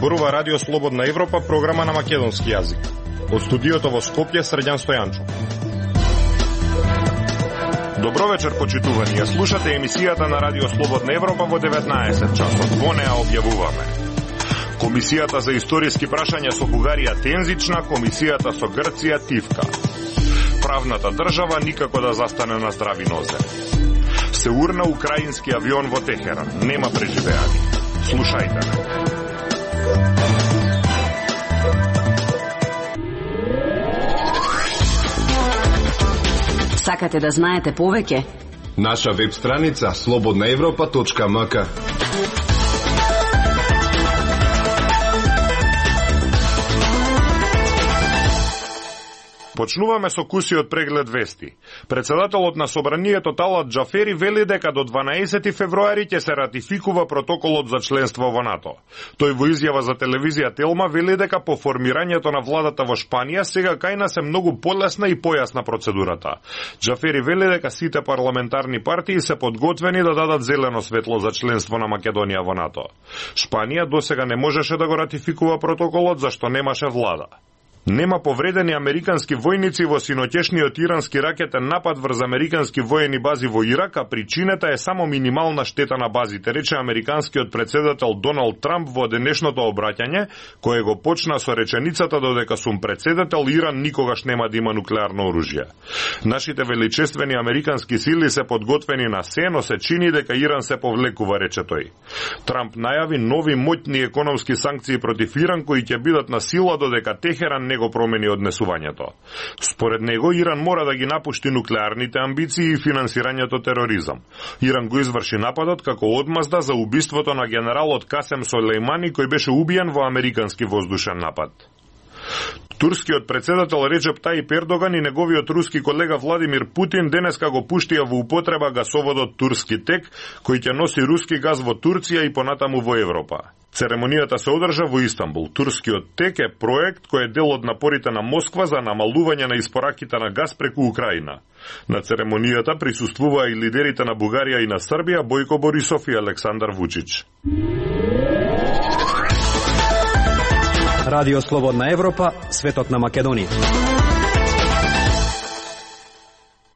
Зборува Радио Слободна Европа, програма на македонски јазик. Од студиото во Скопје, Срđan Стојанчов. Добро вечер, почитувани. Ја слушате емисијата на Радио Слободна Европа во 19 часот. Во неа објавуваме: Комисијата за историски прашања со Бугарија тензична, комисијата со Грција тивка. Правната држава никако да застане на здрави нозе. Се урна украински авион во Техеран. Нема преживеани. Слушајте ме. Сакате да знаете повеќе? Наша веб страница slobodnaevropa.mk. Почнуваме со кусиот преглед вести. Председателот на Собранието Талат Џафери вели дека до 12 февруари ќе се ратификува протоколот за членство во НАТО. Тој во изјава за телевизија Телма вели дека по формирањето на владата во Шпанија сега кај нас е многу полесна и појасна процедурата. Џафери вели дека сите парламентарни партии се подготвени да дадат зелено светло за членство на Македонија во НАТО. Шпанија досега не можеше да го ратификува протоколот зашто немаше влада. Нема повредени американски војници во синоќешниот ирански ракетен напад врз американски воени бази во Ирак, а причината е само минимална штета на базите, рече американскиот председател Доналд Трамп во денешното обраќање, кое го почна со реченицата додека сум председател, Иран никогаш нема да има нуклеарно оружје. Нашите величествени американски сили се подготвени на се, но се чини дека Иран се повлекува, рече тој. Трамп најави нови моќни економски санкции против Иран кои ќе бидат на сила додека Техеран не го промени однесувањето. Според него, Иран мора да ги напушти нуклеарните амбиции и финансирањето тероризам. Иран го изврши нападот како одмазда за убиството на генералот Касем Солејмани кој беше убиен во американски воздушен напад. Турскиот председател Реджеп Тајип Ердоган и неговиот руски колега Владимир Путин денеска го пуштија во употреба гасоводот Турски тек, кој ќе носи руски газ во Турција и понатаму во Европа. Церемонијата се одржа во Истанбул. Турскиот тек е проект кој е дел од напорите на Москва за намалување на испораките на газ преку Украина. На церемонијата присуствуваа и лидерите на Бугарија и на Србија, Бојко Борисов и Александар Вучич. Радио Слободна Европа, светот на Македонија.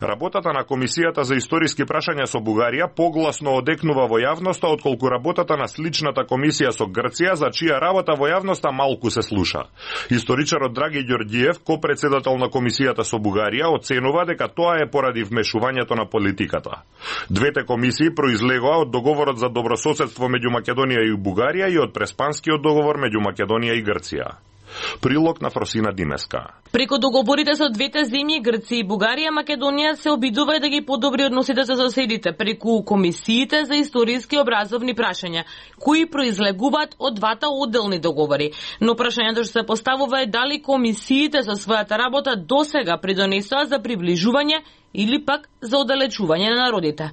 Работата на Комисијата за историски прашања со Бугарија погласно одекнува во јавноста отколку работата на сличната комисија со Грција, за чија работа во јавноста малку се слуша. Историчарот Драги Ѓорѓиев, ко-председател на Комисијата со Бугарија, оценува дека тоа е поради вмешувањето на политиката. Двете комисии произлегоа од договорот за добрососедство меѓу Македонија и Бугарија и од Преспанскиот договор меѓу Македонија и Грција. Прилог на Фросина Димеска. Преку договорите со двете земји, Грција и Бугарија, Македонија се обидува да ги подобри односите со соседите преку комисиите за историски образовни прашања, кои произлегуваат од двата одделни договори. Но прашањето што се поставува е дали комисиите со својата работа досега придонесоа за приближување или пак за оддалечување на народите.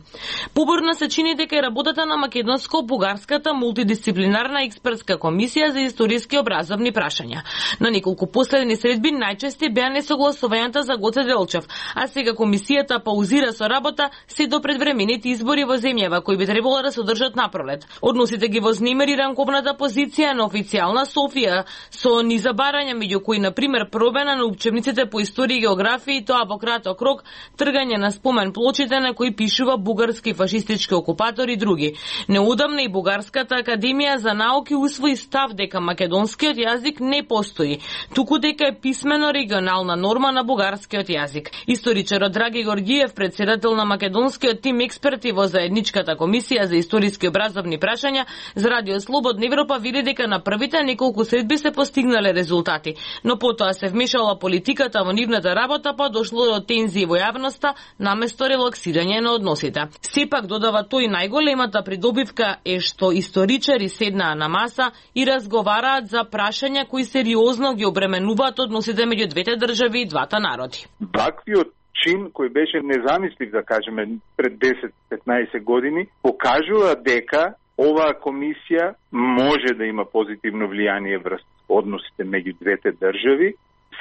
Поборно се чини дека е работата на македонско-бугарската мултидисциплинарна експертска комисија за историски образовни прашања. На неколку последни средби најчести беа несогласувањата за Гоце Делчев, а сега комисијата паузира со работа се до предвремените избори во земјава кои би требало да се одржат напролет. Односите ги вознемири ранковната позиција на официјална Софија со низа барања меѓу кои на пример промена на учебниците по историја и географија и тоа во краток рок, тргање на спомен плочите на кои пишува бугарски фашистички окупатори и други. Неодамна и Бугарската академија за науки усвои став дека македонскиот јазик не постои, туку дека е писмено регионална норма на бугарскиот јазик. Историчарот Драги Ѓорѓиев, председател на македонскиот тим експерти во заедничката комисија за историски образовни прашања за Радио Слободна Европа, вели дека на првите неколку средби се постигнале резултати, но потоа се вмешала политиката во нивната работа, па дошло до тензии во јавноста наместо релаксирање на односите. Сепак, додава тој, најголемата придобивка е што историчари седнаа на маса и разговараат за прашања кои сериозно ги обременуваат односите меѓу двете држави и двата народи. Ваквиот чин кој беше незамислив, да кажеме, пред 10-15 години, покажува дека оваа комисија може да има позитивно влијание врз односите меѓу двете држави.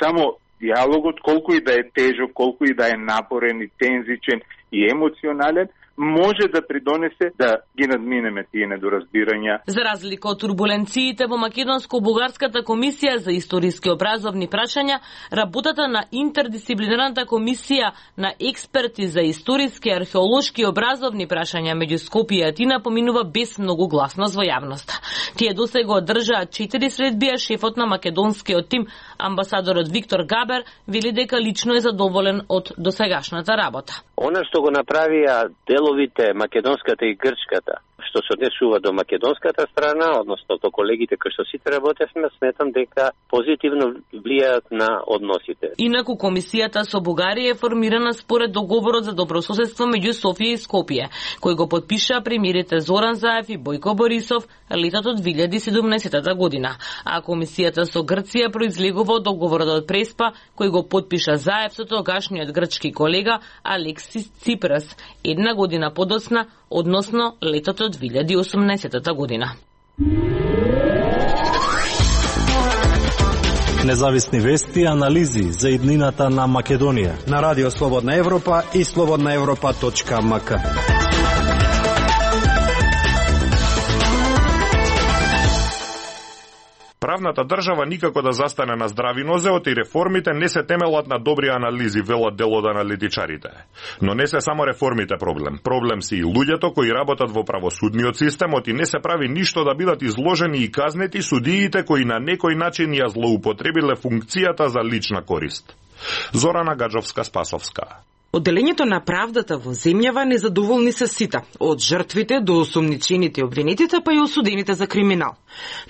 Само диалогот, колку и да е тежок, колку и да е напорен и тензичен и емоционален, може да придонесе да ги надминеме тие недоразбирања. За разлика од турбуленциите во Македонско-бугарската комисија за историски образовни прашања, работата на интердисциплинарната комисија на експерти за историски, археолошки и образовни прашања меѓу Скопје и Атина поминува без многу гласност во јавноста. Тие досега одржаа 4 средби, а шефот на македонскиот тим, амбасадорот Виктор Габер, вели дека лично е задоволен од досегашната работа. Она што го направија деловите македонската и грчката, што се однесува до македонската страна, односно до колегите кои што сите работевме, сметам дека позитивно влијаат на односите. Инаку комисијата со Бугарија е формирана според договорот за добрососедство меѓу Софија и Скопје, кој го подпиша премиерите Зоран Заев и Бојко Борисов летото 2017 година, а комисијата со Грција произлегува од договорот од Преспа, кој го подпиша Заев со тогашниот грчки колега Алексис Ципрас една година подоцна, односно летото 2018 година. Независни вести и анализи за иднината на Македонија на Радио Слободна Европа и slobodnaevropa.mk. Правната држава никако да застане на здрави нозе, и реформите не се темелат на добри анализи, велат дел од аналитичарите. Но не се само реформите проблем. Проблем си и луѓето кои работат во правосудниот системот и не се прави ништо да бидат изложени и казнети судиите кои на некој начин ја злоупотребиле функцијата за лична корист. Зорана Гаджовска-Спасовска. Одделењето на правдата во земјава незадоволни се сите, од жртвите до осумничените и обвинетите, па и осудените за криминал.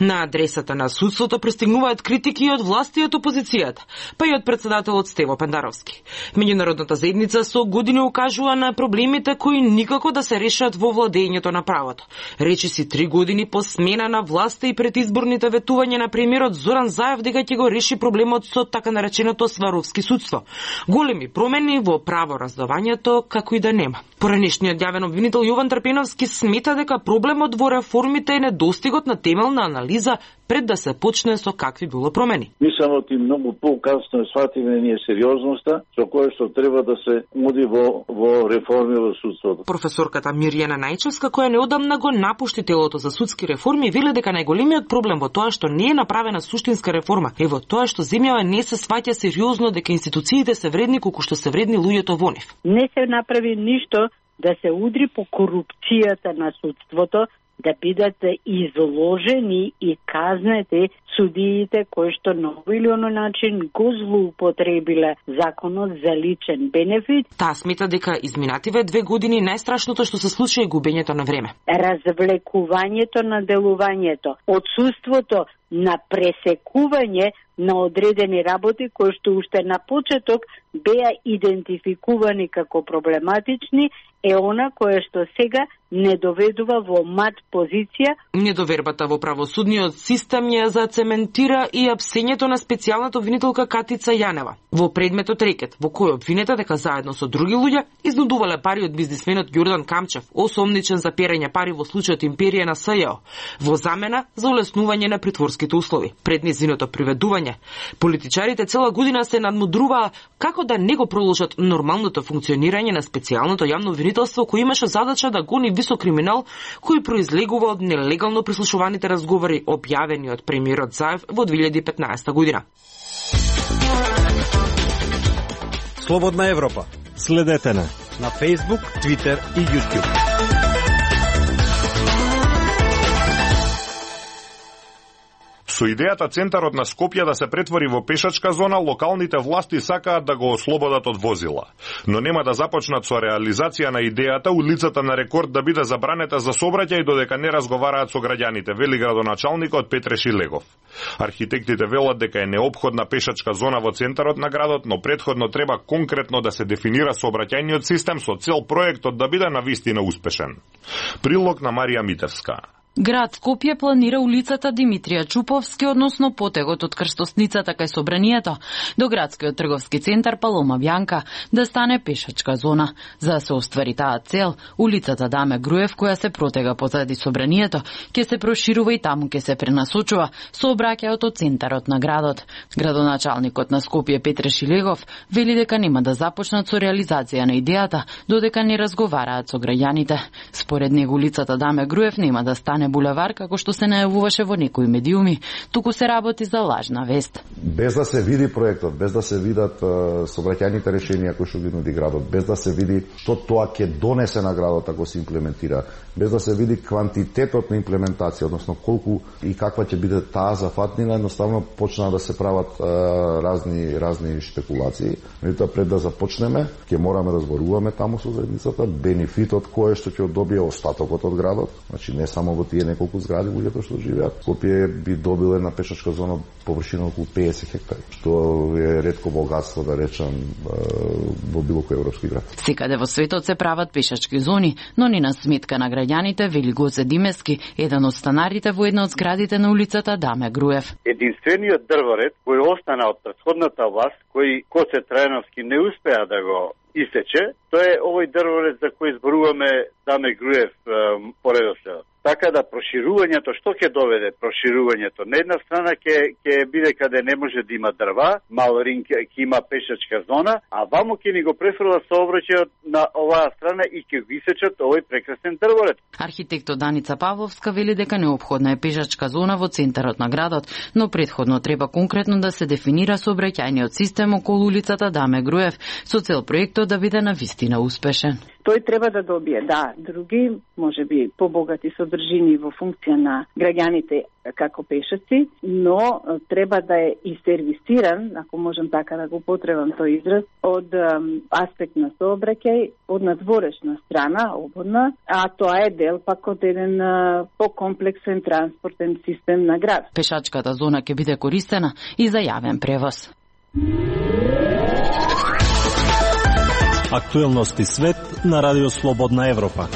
На адресата на судството пристигнуваат критики и од власти и од опозицијата, па и од председателот Стево Пендаровски. Меѓународната заедница со години укажува на проблемите кои никако да се решат во владењето на правото. Речи си 3 години по смена на власта и пред изборните ветувања на премиерот Зоран Заев дека ќе го реши проблемот со така нареченото сваровски судство. Големи промени во раздавањето како и да нема. Поранешниот јавен обвинител Јован Трпеновски смета дека проблемот во реформите е недостигот на темелна анализа пред да се почне со какви било промени. Мислам и многу покасно сватиме ние сериозноста со која што треба да се уди во реформи во судството. Професорката Мирјана Најчевска, која неодамна го напушти телото за судски реформи, вели дека најголемиот проблем во тоа што не е направена суштинска реформа е во тоа што земјава не се сваќа сериозно дека институциите се вредни колку што се вредни луѓето во нив. Не се направи ништо да се удри по корупцијата на судството, да бидат изложени и казнети судиите кои што на овој или оној начин го злоупотребиле законот за личен бенефит. Таа смета дека изминативе 2 години најстрашното што се случи е губењето на време. Развлекувањето на делувањето, отсуството на пресекување на одредени работи кои што уште на почеток беа идентификувани како проблематични, е она кое што сега не доведува во мат позиција. Недовербата во правосудниот систем ја зацементира и апсењето на специјалната обвинителка Катица Јанева во предметот рекет, во кој обвинета дека заедно со други луѓе изнудувале пари од бизнисменот Ѓордан Камчев, осомничен за перење пари во случајот Империја на СЈО, во замена за улеснување на притворските услови. Пред низиното приведување, политичарите цела година се надмудруваа како да не го продолжат нормалното функционирање на специјалното јавно обвинителство кој имаше задача да гони висок криминал кој произлегува од нелегално прислушуваните разговори објавени од премиерот Заев во 2015 година. Слободна Европа. Следете на Facebook, Twitter и YouTube. Со идејата центарот на Скопје да се претвори во пешачка зона, локалните власти сакаат да го ослободат од возила. Но нема да започнат со реализација на идејата улицата на Рекорд да биде забранета за сообраќај додека не разговараат со граѓаните, вели градоначалникот Петре Шилегов. Архитектите велат дека е неопходна пешачка зона во центарот на градот, но претходно треба конкретно да се дефинира сообраќајниот систем со цел проектот да биде навистина успешен. Прилог на Марија Митевска. Град Скопје планира улицата Димитрија Чуповски, односно потегот од крстосницата кај Собранието до градскиот трговски центар Палома Бјанка да стане пешачка зона. За да се оствари таа цел, улицата Даме Груев, која се протега позади Собранието, ќе се проширува и таму ќе се пренасочува сообраќајот од центарот на градот. Градоначалникот на Скопје Петре Шилегов вели дека нема да започнат со реализација на идејата додека не разговараат со граѓаните. Според него улицата Даме Груев нема да стане булевар како што се најавуваше во некои медиуми, туку се работи за лажна вест. Без да се види проектот, без да се видат сообраќајните решенија кои што ги нуди градот, без да се види што тоа ќе донесе на градот ако се имплементира, без да се види квантитетот на имплементација, односно колку и каква ќе биде таа зафатнина, едноставно почнаа да се прават разни шпекулации. Меѓутоа пред да започнеме, ќе мораме да зборуваме таму со заедницата, бенефитот кој што ќе добие остатокот од градот, значи не само во тие неколку згради луѓето што живеат. Скопје би добило една пешачка зона површина околу 50 хектари, што е ретко богатство, да речам, во било кој европски град. Секаде во светот се прават пешачки зони, но ни на сметка на граѓаните, вели Гоце Димески, еден од станарите во една од зградите на улицата Даме Груев. Единствениот дрворед кој остана од претходната власт, кој Коце Трајановски не успеа да го истече, тоа е овој дрворед за кој зборуваме Даме Груев поредоследот. Така да проширувањето, што ќе доведе проширувањето? На една страна ќе биде каде не може да има дрва, мал ринг ќе има пешачка зона, а ваму ќе ни го префрлат сообраќајот на оваа страна и ќе го исечат овој прекрасен дрворед. Архитектот Даница Павловска вели дека неопходна е пешачка зона во центарот на градот, но претходно треба конкретно да се дефинира сообраќајниот систем околу улицата Даме Груев со цел проектот да биде навистина успешен. Тој треба да добие, други, може би побогати содржини во функција на граѓаните како пешаци, но треба да е и сервисиран, ако можам така да го потребам тој израз, од аспект на сообраќај, од надворешна страна, ободна, а тоа е дел пак од еден покомплексен транспортен систем на град. Пешачката зона ќе биде користена и за јавен превоз. Актуелности свет на Радио Слободна Европа.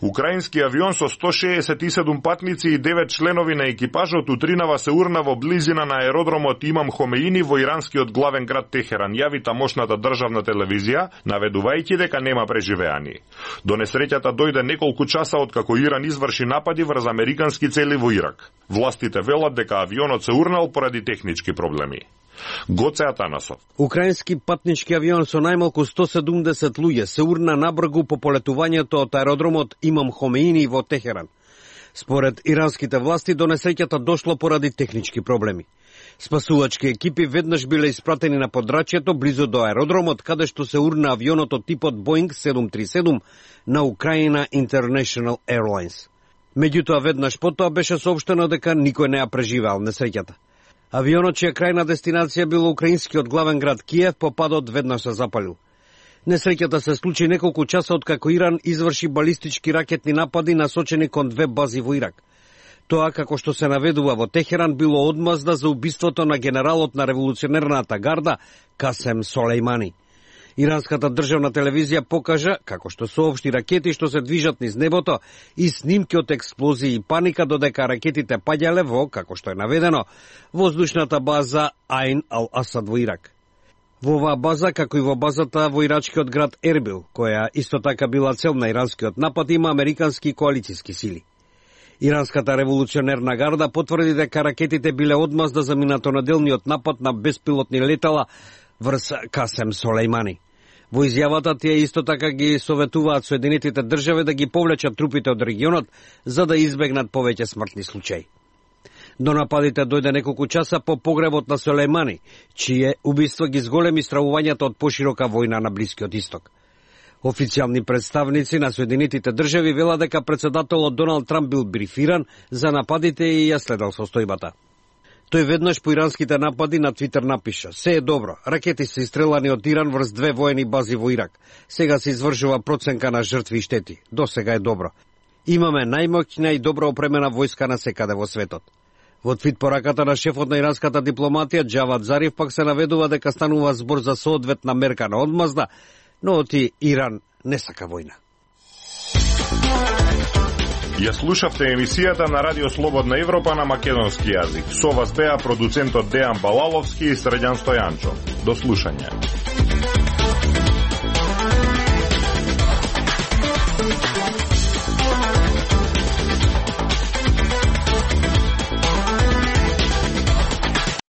Украински авион со 167 патници и 9 членови на екипажот утринава се урна во близина на аеродромот Имам Хомеини во иранскиот главен град Техеран, јави тамошната државна телевизија, наведувајќи дека нема преживеани. До несреќата дојде неколку часа откако Иран изврши напади врз американски цели во Ирак. Властите велат дека авионот се урнал поради технички проблеми. Гоце Атанасов. Украински патнички авион со најмалку 170 луѓе се урна набргу по полетувањето од аеродромот Имам Хомеини во Техеран. Според иранските власти, до несреќата дошло поради технички проблеми. Спасувачки екипи веднаш биле испратени на подрачјето близу до аеродромот, каде што се урна авионот од типот Boeing 737 на Украина International Airlines. Меѓутоа, веднаш потоа беше соопштено дека никој не ја преживеал несреќата. Авионот, чија крајна дестинација бил украинскиот главен град Киев, по падот веднаш се запалил. Несреќата се случи неколку часа откако Иран изврши балистички ракетни напади насочени кон 2 бази во Ирак. Тоа, како што се наведува во Техеран, било одмазда за убиството на генералот на револуционерната гарда Касем Солејмани. Иранската државна телевизија покажа како што соопшти ракети што се движат низ небото и снимки од експлозии и паника додека ракетите паѓале во, како што е наведено, воздушната база Айн Ал-Асад во Ирак. Во оваа база, како и во базата во ирачкиот град Ербил, која исто така била цел на иранскиот напад, има американски коалициски сили. Иранската револуционерна гарда потврди дека ракетите биле одмазда за минатонаделниот напад на беспилотни летала врз Касем Солејмани. Во изјавата тие исто така ги советуваат Соединетите држави да ги повлечат трупите од регионот за да избегнат повеќе смртни случаи. До нападите дојде неколку часа по погребот на Солејмани, чие убиство ги зголеми стравувањето од поширока војна на Блискиот Исток. Официјални представници на Соединетите држави велат дека претседателот Доналд Трамп бил брифиран за нападите и ја следел состојбата. Тој веднаш по иранските напади на Твитер напиша: "Се е добро, ракети се истрелани од Иран врз 2 воени бази во Ирак. Сега се извршува проценка на жртви и штети. До сега е добро. Имаме најмоќна и добро опремена војска на секаде во светот." Во твит пораката на шефот на иранската дипломатија Џавад Зариф пак се наведува дека станува збор за соодветна мерка на одмазда, но оти Иран не сака војна. Ја слушавте емисијата на Радио Слободна Европа на македонски јазик. Со вас беа продуцентот Дејан Балаловски и Средјан Стојанчо. До слушање.